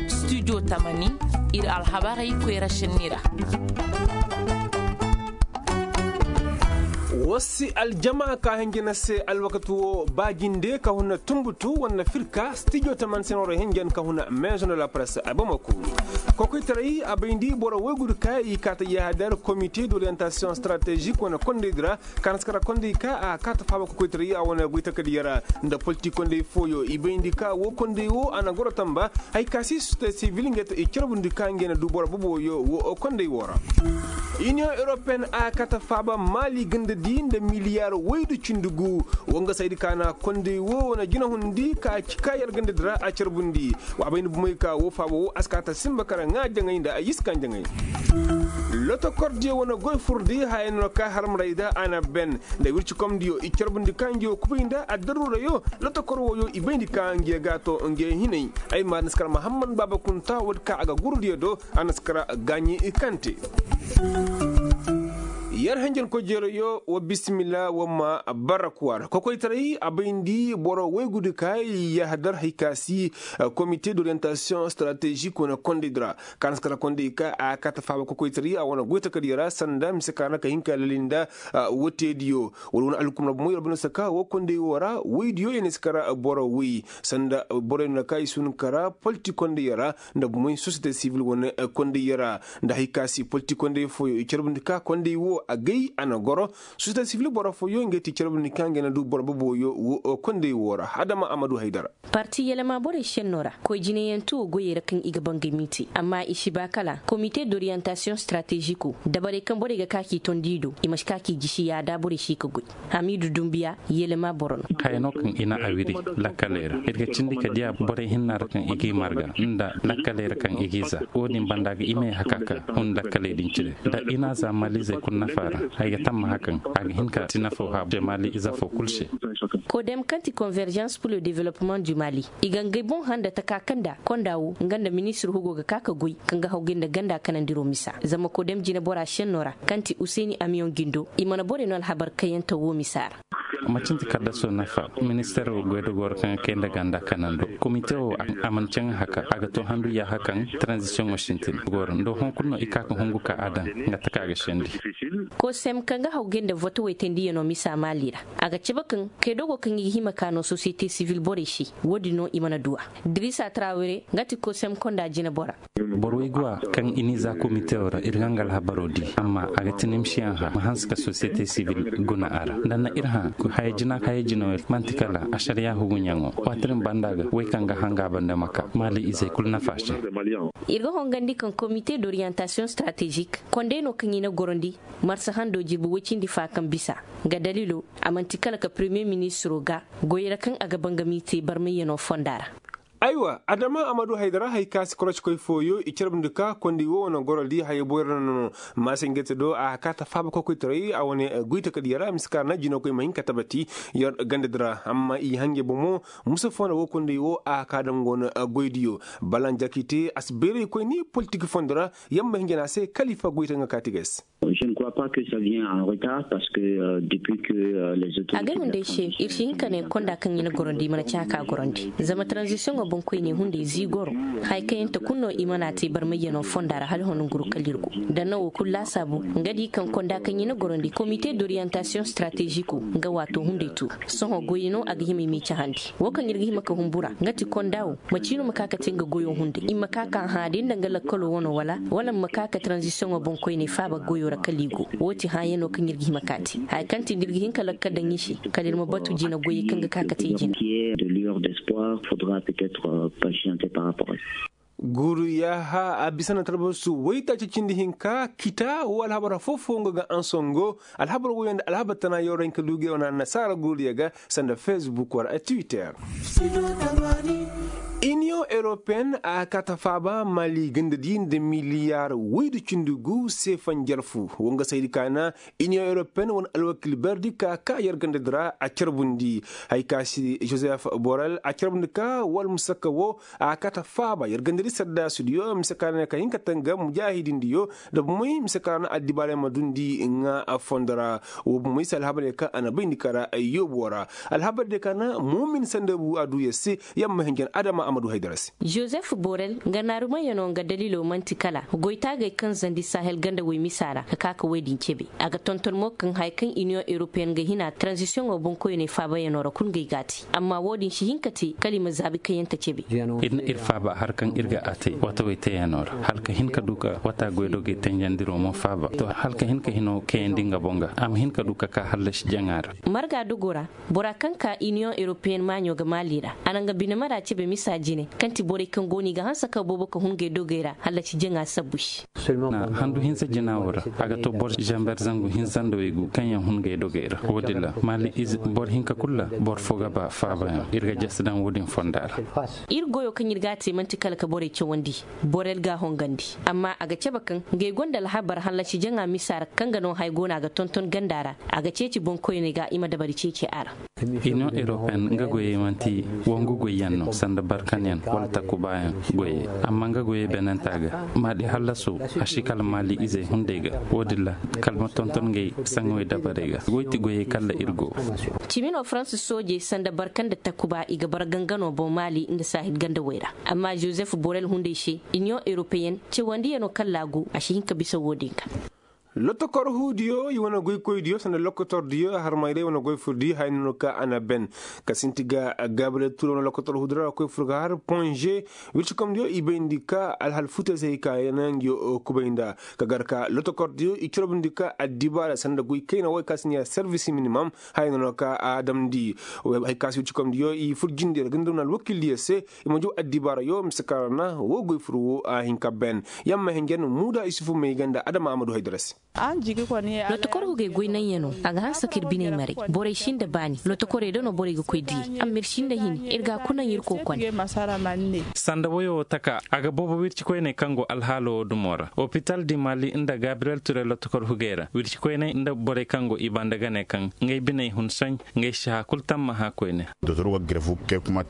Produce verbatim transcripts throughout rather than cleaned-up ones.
Studio tamani, ir alhabarey koyra šenni ra. Woo si aljama ka hinja na se alwakati woo ba jinde ka huna tunbutu wala firka studio tamani se no ra hinjan ka huna maison de la presse a bamako. Kokoytaray a bayndi boro woy gudu ka i kaata yahadar comité d'orientation stratégique wane kondey di ra. Ka na si kara kondey ka a kaata faaba kokoytaray a wane goy takadiyara nda politik kondey fooyo i bayndi ka woo kondey woo a na goro tamba. Hay ka si société civile ngey te i carbundi ka ngey na du boro boboyo woo kondey woo ra. Iniyoŋ europeen a kaata faaba maali gandadi nda miliyaar woy du cindi gu. Woo nga saydi ka na kondey woo wane jinahundi ka ci ka yar gandadi ra a carbundi. Wa a bay ni bumey ka woo faaba woo a si kaata simba kara ŋaa jaŋay nda a yiskan jaŋay. Lotokordiyo wane goy furdi haya no ka harmaray da a na ben nda wircikomdiyo i carbundi ka ngiyo kubay nda addaruurayo. Lotokor wooyo i bayndi ka ngiyo ga to ngiyo hinay. Ay ma na si kara mahammad baaba kunta woodi ka a ga gurudiyo do. A na si kara gaaɲi kante. Yar hanjankoy jeerayo wa bisimila wa ma barrakuwa ra kokoytaray a bayndi boro woy gudu ka yahadar hay ka si. Komite d'orientation stratégique wane kondey di ra ka na si kara kondey ka a kaata faaba kokoytaray a wane goy takadiyo ra sanda mise ka na ka hin ka lali nda. Woteediyo wala wane alhukumra bumo yer bane saka woo kondey woo ra woydiyo ya na si kara boro woy sanda borey no na ka i si hun kara politik kondey ra nda bumey sosiyete sivil wane kondey ra. Nda hay ka si politik kondey fooyo i carbundi ka kondey woo agay a na goro. Sosiyete sivil boro fooyo ngey ti carbundi ka ngey na du boro boboyo woo kondey woo ra adama amadu haydara. Parti yelema borey šennoo ra koy jinayanti woo goyey ra kaŋ i ga bangay m'i te amma i si ba kala komite d'orientasiyoŋ strategiko dabarey kaŋ borey ga ka k'i tondi i do i ma si ka k'i jisi yaada borey si ka goy. Hamiidu dumbiya yelema boro no. Haya no kaŋ i na a wiri lakkaley ra ir ga cindi ka diya borey hinna ra kaŋ i g'i marga nda lakkaley ra kaŋ i g'i za. Wo-din banda ga i ma ye haka ka hun lakkaley din cire nda i na a za maalizey kulu nafa ra. Ay ga tammaha kaŋ a ga hin ka ti nafa wo haabu te maali ize fo kulu se. Kodem kaŋ ti konveržans pur le developpement du mali i ga ngey boŋ handa taka kaŋ nda konda wo nga nda ministir hugo ga ka ka goy kaŋ ga hawgay nda ganda kanandiro misa zama kodem jinebora senno ra kaŋ ti useni amiyoŋ jindo i mana borey no alhabar kayante wo misa ra. Macin ti kaddaso nafa minister wo goydogoo ra kaŋ ga kay nda ganda kanando komite wo a mana caŋ haka a ga to handu yaaha kaŋ taranzisiyoŋo sintin gooro nda hõ kulu no i ka ka hungu ka a daŋ nga taka ga sendi. Kosem kaŋ ga hawgay nda votowey tendiyanoo misa maali ra a ga cabe kaŋ kaydogo kaŋ i ga hima ka no sosiyete sivil borey se. Wo-din no i mana du a. Dirisa trawere nga ti kosem konda jinebora. Boro way go a kaŋ i n'i za komite wo ra ir ga nga alhabaro di amma a ga ti nimsiyaŋ hã ma hanse ka sosiyete sivil guna a ra nda na ir hã. Haya jina haya jina wo manti kala ašariya huguɲaŋo waati din banda ga way kaŋ ga hanga banda ma ka maali izey kulu nafa se. Ir ga hongandi kaŋ komite d'orientasiyoŋ stratezik konday no kaŋ i na gorondi marsa hando jirbi woy cindi fa kaŋ bisa. Nga daliilo a man'ti kala ka premiye ministiro ga goyra kaŋ a ga bangami te barmayyano fonda ra. Aywa adama a ma du haydara hay ka si korocikoy fooyo i carbundi ka kondi wo wane goro di haya boyra no no. Maasa ngete do a ka ta faaba kokoytaray a wane goyta ka diya ra mise ka ra na jinokoy ma hin ka tabati. Yer ganda di ra amma i hange bomo musa fo na wo kondi wo a ka daŋ go no goy diyo. Balan jakite a si beeraykoy ni politik fondo ra. Yer ma hin jana se kalifa goyta nga ka ti ga ay se. Je ne crois pas que ça vient en retard parce que depuis que les autorités a ga hunday se ir si hin ka ne konda kaŋ i na gorondi i mana ci haka gorondi zama tranzisiyoŋo boŋkoyne hunday zii goro. Haya kaŋ yaŋ ta kulu no i mana a te barmayyano fonda ra hala hon nguru kala ir go da nawo kulu laasaabu. Nga di kaŋ konda kaŋ i na gorondi komite d'orientasiyoŋ strategiko nga waato hunday tu. Sohõ goyey no a ga hima i m'i cahandi wo kaŋ ir ga hima ka humbura nga ti konda wo. Macino ma ka ka te nga goyo hunday i ma ka ka hã da ir nda nga lakkalo wano wala wala ma ka ka tranzisiyoŋo boŋkoyney faaba goyo ra kala i go. Wo ti hãyano kaŋ ir ga hima ka te haya kaŋ ti nda ir ga hin ka lakkal daŋ i se kala ir ma batu jina goyey kaŋ ga ka ka te jina. Guuru yaaha a bisa na talbasu waytaaci cindi hinka kita wo alhabar foo-foo nga ga ansongo. Alhabar woyo nda alhabar tana yawra hinka duuge wane annasaara guuru ya ga sanda fesbuk wala twitter. Iniyoŋ europeyen a kaata faaba mali ganda di nda miliyaar woy nda cindi gu seefaŋ jarfu wo nga saydi kaana. Iniyoŋ europeyen wane alwakil berdi ka ka yer ganda di ra a carbundi. Hay ka si josef borel a carbundi ka wala musakka wo a kaata faaba yer ganda di saddaasidiyo mise ka na ka hin ka tanga mujaahidindiyo. Nda bumey mise ka na addibaarey ma dundi ŋaa fondo ra. Wo bumey se alhabarey kaŋ a na bayndi ka ra ay yoobo ra. Alhabarey kaŋ na muumin sanda bu a du yer se. Yer ma hin jan adama. Joseph Borel nga naarumayano nga dalilo man'ti kala goytaagey kaŋ zandi sahel ganda wey misa ra ka ka ka wey din cebe. A ga tonton mo kaŋ haya kaŋ iniyoŋ europeyen ga hina tranzisiyoŋo boŋkoyney faabayano ra kul ngey g'a te. Amma wo-din si hin ka te kala i ma zaabi kayante cebe. Ir na ir faaba har kaŋ ir ga a te wata wey teeyano ra hala ka hin ka du ka wata goydogey tenjandiro mo faaba to hala ka hin ka hino kayandi nga boŋ ga a ma hin ka du ka ka hallasi jaŋa ra. Marga dogo ra, bora kaŋ ka iniyoŋ europeyen maaɲo ga maali ra, a na nga bine mara cebe misa jine kaŋ ti borey kaŋ go no i ga hanse ka boobo ka hun gay dogey ra hallasi jaŋa sabbu se. Handu hinsa jina wo ra, a ga to boro zamber zangu hinsa nda waygu kaŋ yaŋ hun gay dogey ra. Wo-din ra maali ize boro hinka kul ra boro fo ga ba faabayaŋ ir ga jasi daŋ wo-din fonda ra. Ir goyo kaŋ ir ga a te man'ti kala ka borey cawandi, borey ga a hongandi. Amma a ga cabe kaŋ ngey gonda alhabar hallasi jaŋa misa ra kaŋ ga no haya go no a ga tonton ganda ra. A ga ceeci boŋkoyney ga i ma dabari ceeci a ra. Iniyoŋ europeyen nga goyey man'ti wangu goyyaŋ no sanda barkanyaŋ wala takubayaŋ goyey. Amma nga goyey benenta ga maadi hallaso a si kala maali izey hunday ga. Wo-din ra kala ma tonton ngey saŋawey dabarey ga goy ti goyey kala ir go. Cimi no farans soojey sanda barka nda takuba i ga bara gangano boŋ maali nda sahil gandawey ra. Amma joseph borel hunday se iniyoŋ europeyen cewandiyano kala a go a si hin ka bisa wo-din ga. Lotokor huudiyo i wane goykoydiyo sanda lokotordiyo harmayray wane goy furdi haya no ka a na ben. Ka sinti ga gabriel ture wane lokotor huudi ra a koy fur ga har ponze. Wircikomdiyo i bayndi ka alhal futey se hay ka naŋ ngiyo kubay nda ka gar ka lotokordiyo i corobndi ka addibaara sanda goy kayna wo hay ka si ne ya servis minimum. Haya no ka a damndi hay ka si wircikomdiyo i fur jindi ra ga nda wane alwakildiyo se. I ma jaw addibaarayo mise kaŋ ra na wo goy fur wo a hin ka ben. Yamma hinjan muuda isufu may ganda adama a ma du haydara se. Lotokor hugey goy naŋ yaŋ no a ga hanse ka ir biney maray. Borey si nda baani lotokorey da no borey ga koy diyey amma ir si nda hini ir ga a kuna naŋ ir kookone. Sanda woyo wo taka a ga boobo wircikoyney kaŋ go alhaalo wo dumo ra opital di mali nda gabriyel ture lotokor hugey ra wircikoyney nda borey kaŋ go i banda ga ne kaŋ ngey biney hun soy. Ngey si hã kul tammaha koyne.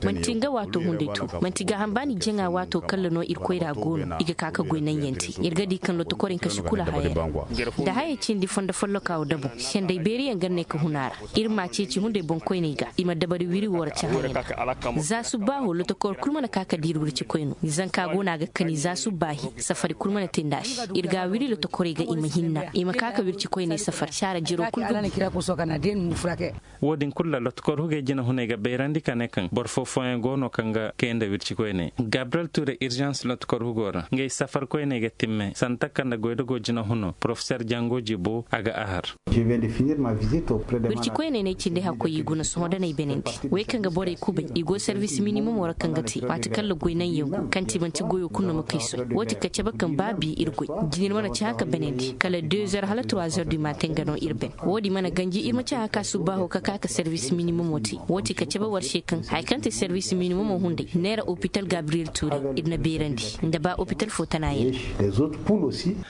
Man'ti nga waato hunday to. Man'ti gaaham ba ni jaŋa waato kalla no ir koyra go no i ga ka ka goy naŋ yaŋ te ir ga di kaŋ lotokorey ka si kula haya ra. Da hayey cindi fondo folloka wo dabo senday beeriyaŋ ga ne ka hun a ra. Ir m'a ceeci hunday boŋkoyney ga i ma dabari wiri wo ra cahã yaŋ ga. Za subbaaho lotokor kul mana ka ka diiri wircikoyno zanka go no a ga kani za subbaahi safari kul mana te nda a se. Ir ga a wiri lotokorey ga i ma hinna i ma ka ka wircikoyney safari saara jiro kul ga. Wo-din kulu ra lotkor hugey jinahuney ga bayrandi ka ne kaŋ boro foo-fooyaŋ go no kaŋ ga kay nda wircikoyney gabriyel ture irzans lotkor hugo ra ngey safarkoyney ga timme sanda taka nda goydogo jinahuno porofeser jango jibo a ga a har. Wircikoyney n'ay cindi hakkoy i guna sohõ da n'ay benandi wey kaŋ ga borey kubay i go servis minimum ra kaŋ ga te waati kaŋ ra goy naŋ yaŋ go kaŋ ti manti goyo kulu no ma kay soy. Wo-din ka cabe kaŋ ba bi ir goy jina ir mana ci hã ka benandi kala deux heures hala trois heures du matin ga no ir ben. Wo-din mana ganji ir ma ci hã ka subbaaho ka ka ka servis minimumo te. Wo-din ka cabe war se kaŋ haya kaŋ te servis minimumo hunday neera opital gabriyel ture ir na beerandi nda ba opital fo tana yaŋ.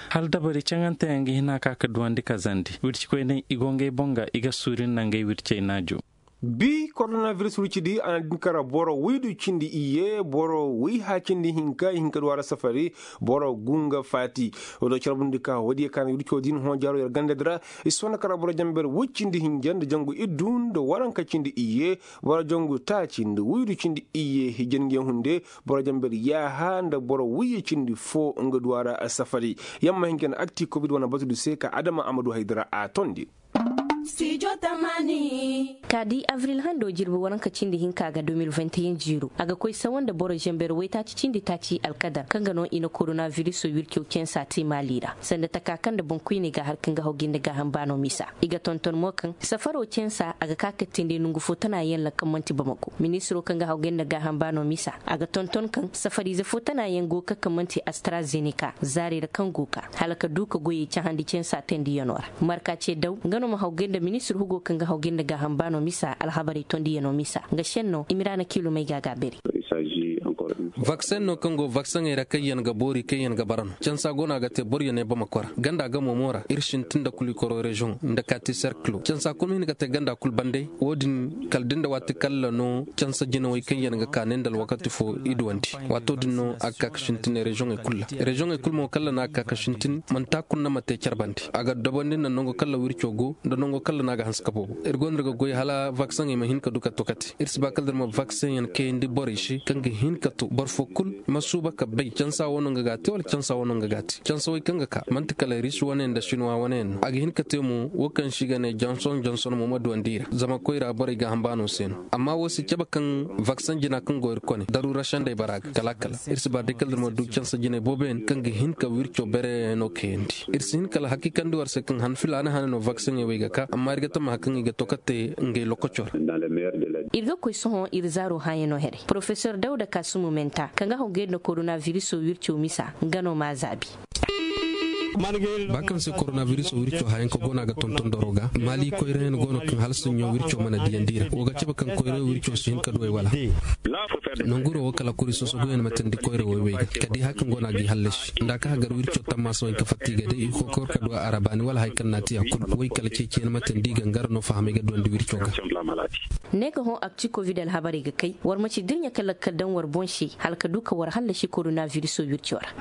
Hala dabari caŋanteyaŋ ga hin a ka ka duwandi kazandi wircikoyney i go ngey boŋ ga i ga suuri nda ngey wircey naajo. Bi korona biris wirci di a na din kara boro waydu cindi iyye boro wayha cindi hinka i hin ka du a ra safari. Boro gu nga faati. Wala carbundi ka wadiya ka na wirco din hõ jaaro yer ganda di ra. I sohõ na kara boro jamber way cindi hinja nda jangu iddu nda waranka cindi iyye. Boro jangu taaci nda waydu cindi iyye hijange hunde. Boro jamber yaaha nda boro wayye cindi fo nga du a ra safari. Yamma ma hin ka na akti kobid wane batu du se ka adama a ma du hay di ra a tondi. Ka di avril hando jirbi waranka cindi hinka ga deux mille vingt et un jiiro a ga koy sawa nda boro zamber waytaaci cindi taaci alkadar kaŋ ga no i na korona viriso wirco censa te maali ra sanda taka kaŋ nda boŋkoyney ga har kaŋ ga hawgay nda gaaham baano misa. I ga tonton mo kaŋ safaro censa a ga ka ka teendi nongu fo tana yaŋ ra kaŋ man'ti bamako ministiro kaŋ ga hawgay nda gaaham baano misa a ga tonton kaŋ safariize fo tana yaŋ go ga ka kaŋ man'ti astrazenika zaarey ra kaŋ go ga ka hala ka du ka goyey cahandi censa teendiyanoo ra. Marka ce daw nga no ma hawgay nda ministir hugo kaŋ ga hawgay nda gaaham baano misa alhabarey tondiyano misa nga senno imiraana kiilumey ga a gaabari. Vakseŋ no kaŋ go vakseŋey ra kaŋ yaŋ ga boori kaŋ yaŋ ga bara no cansa go no a ga te boro yaŋ ay bama kora ganda gamo mo ra ir sintin nda kuli koro reziyoŋ nda kaati serkilo cansa kulu ma hin ga te ganda kulu bandey. Wo- din kala da nda waati kalla no cansa jinawey kaŋ yaŋ ga ka ne nda alwakati fo i duwandi. Waato din no a ga ka ka sintin reziyoŋey kulu ra reziyoŋey kulu mo kalla no a ga ka ka sintin manti a kulu no ma te care bande a ga dabandi nda nango kalla wirco go nda nango kalla no a ga hanse ka boobo ir go no ir ga goy hala vakseŋey ma hin ka du ka to kate. Ir si ba kala da ir ma vakseŋ yaŋ kayandi borey se kaŋ ga hin ka to boro fo kulu ma suuba ka bay cansa wano nga ga a te wala cansa wano nga ga a te cansawey kaŋ ga ka manti kala risi wane nda sinuwa wane yaŋ no a ga hin ka te mo wo kaŋ se i ga ne janson janson mo ma duwandi i ra zama koyra borey ga hamba no se no amma wo si cabe kaŋ vakseŋ jina kaŋ go ir kone daruura sendey bara ga kala kala. Ir si ba day kala ir ma du cansa jinay boobo yaŋ kaŋ ga hin ka wirco bereyaŋ no kayandi. Ir si hin kala hakiikandi war se kaŋ han filaana hane no vakseŋey wey ga ka amma ir ga tammaha kaŋ i ga to ka te ngey lokoco ra. Ir ga koy sohõ ir zaaro hãyano here porofesor dawda kaasumo menta kaŋ ga hogey nda koronabiriso wirco misa nga no m'a zaabi. Ba kaŋ se koronabiriso wirco hayanka go no a ga tonton doro ga maali koyrayaŋ go no kaŋ hala saɲɲo wirco mana diyandi ra wo ga cabe kaŋ koyra wirco si hin ka duwey wala. Nanguro wo kala kuri sosoguyaŋ ma tandi koyra woy wey ga ka di haya kaŋ go no a g'i hallasi nda a ka hagar wirco tammaasa wey ka fatta i ga day i kokor ka du a ra baani wala haya kaŋ no a te a kulu woy kala ceeciyaŋ ma tandi i ga ngara no fahamay ga duwandi wirco ga. Ne ga hõ akci kovid alhabarey ga kay war ma ci dirɲa ka lakkal daŋ war boŋ se hala ka du ka war hallasi koronabiriso wirco ra.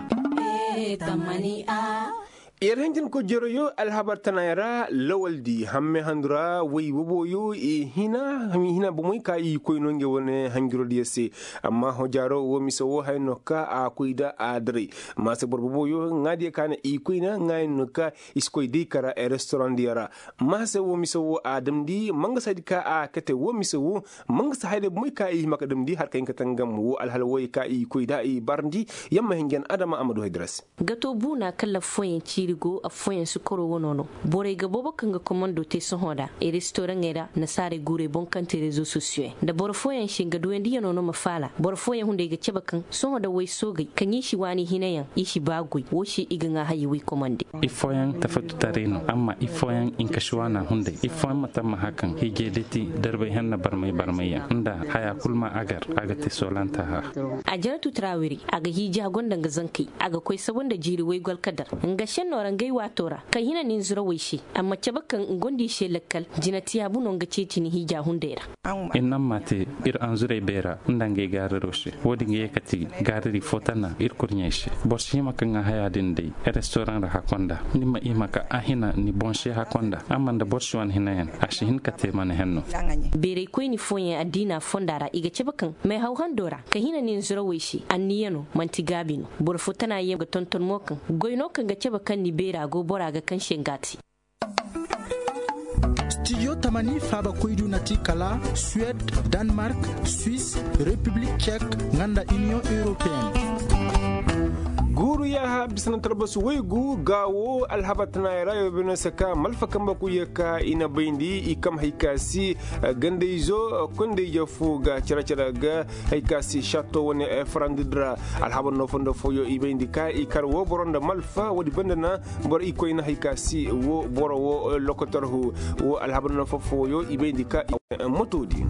Yer hanjin ko jeroyo alhabar tanayaŋ ra lawaldi hamme handu ra way boboyo i hina bomoy ka i koy no ngey wane hanjirodiyo se. Amma hojaro wo mise wo haya no ka a koy da a daray maase boro boboyo ŋaadiyo ka na i koy na ŋaayaŋ no ka i si koy day kara restorandiyo ra. Maase wo mise wo a damndi mangasa di ka a kate wo mise wo mangasa hayday bomoy ka i hima ka damndi har ka hin ka tangam wo alhala woy ka i koy da i barndi. Yamma hinjan adama a ma du hay dira se. Gato buuna kala affooyaŋ ciiri go affooyaŋ si koro wano no. Borey ga boobo kaŋ ga komando te sohõ nda restoraŋey ra nasaarey guurey boŋ kaŋ te rezo sosiyoyaŋ nda boro fooyaŋ se nga duwandiyano no ma faala boro fooyaŋ hunday ga cabe kaŋ sohõ nda way soogey kaŋ i si waani hinayaŋ i si baa goy wo se i ga ŋaa hayey way komande. Ifooyaŋ tafatu taray no amma ifooyaŋ i nka si waana hunday ifooyaŋ ma tammaha kaŋ hiijay dati darbay henna barmay barmayyaŋ nda haya kul ma agar a ga te soolanta ha. Ajaratu trawiri a ga hiiji a gonda nga zankey a ga koy sabu nda jiiri waygwalkadar nga senno ra ngey waato ra ka hina nin zurawey se. Amma cabe kaŋ nga gonda i se lakkal jinatiyaabu no nga ceeci ni hiija hunday ra. Inna ma te ir anzurey beera nda ngey gaariro se wo-din ga ye kati gaariri fo tana ir kurɲey se. Boro si hima ka ŋaa haya din day restoraŋ ra hakonda ni ma hima ka a hina ni boŋ se hakonda amma nda boro si wane hinayaŋ a si hin ka te mana henno. Beeraykoyni fooyaŋ addiina fonda ra i ga cabe kaŋ meehaw hando ra ka hina nin zurawey se anniyano man'ti gaabi no. Boro fo tana yaŋ ga tonton mo kaŋ goy no kaŋ ga cabe kaŋ ni beera go bora ga kaŋ se nga te. Stijo tamani faabakoydu na ti kala suwed, danmark, swis, repiblik cek, nga nda iniyoŋ europeen. Guuru yaaha bisa na talbasu waygu gaawo alhabar tanaayey ra yoo bine se ka malfa kambe kuye ka i na bayndi i kam hay ka si gandayzo kondayje fo ga care care ga hay ka si shatto wane farandi di ra. Alhabar no fondo fooyo i bayndi ka i kar wo boro nda malfa woodi banda na boro i koyna hay ka si wo boro wo lokotor hu wo alhabar no fo fooyo i bayndi ka motoodi.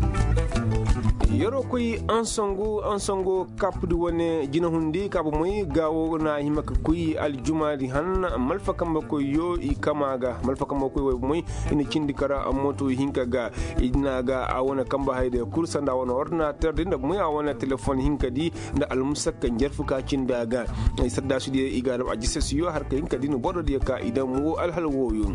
Yeroo koy ansongo ansongo kappudi wane jinahundi ka bomoy gaawo na hima ka koy aljumaadi han malfa kambe koyyo i kama ga malfa kambe koy way bomoy i na cindi kara moto hinka ga i na ga a wane kambe hayday kul sanda wane ordinater di nda bomoy a wane telefon hinka di nda almusakka njarfu ka cindi a ga. Saddaasudiyo i ga a dam a jisasiyo har ka hinka di na borodiyo ka i dam wo alhal wooyo.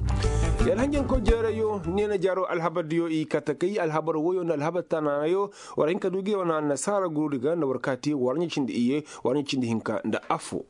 Yalhanjanko jeerayo neena jaaro alhabardiyo i kate kay alhabar wooyo nda alhabar tanayo war hinka du gi wane annasaara guruudi ga nda war ka te war ɲa cindi iyye war ɲa cindi hinka nda affo.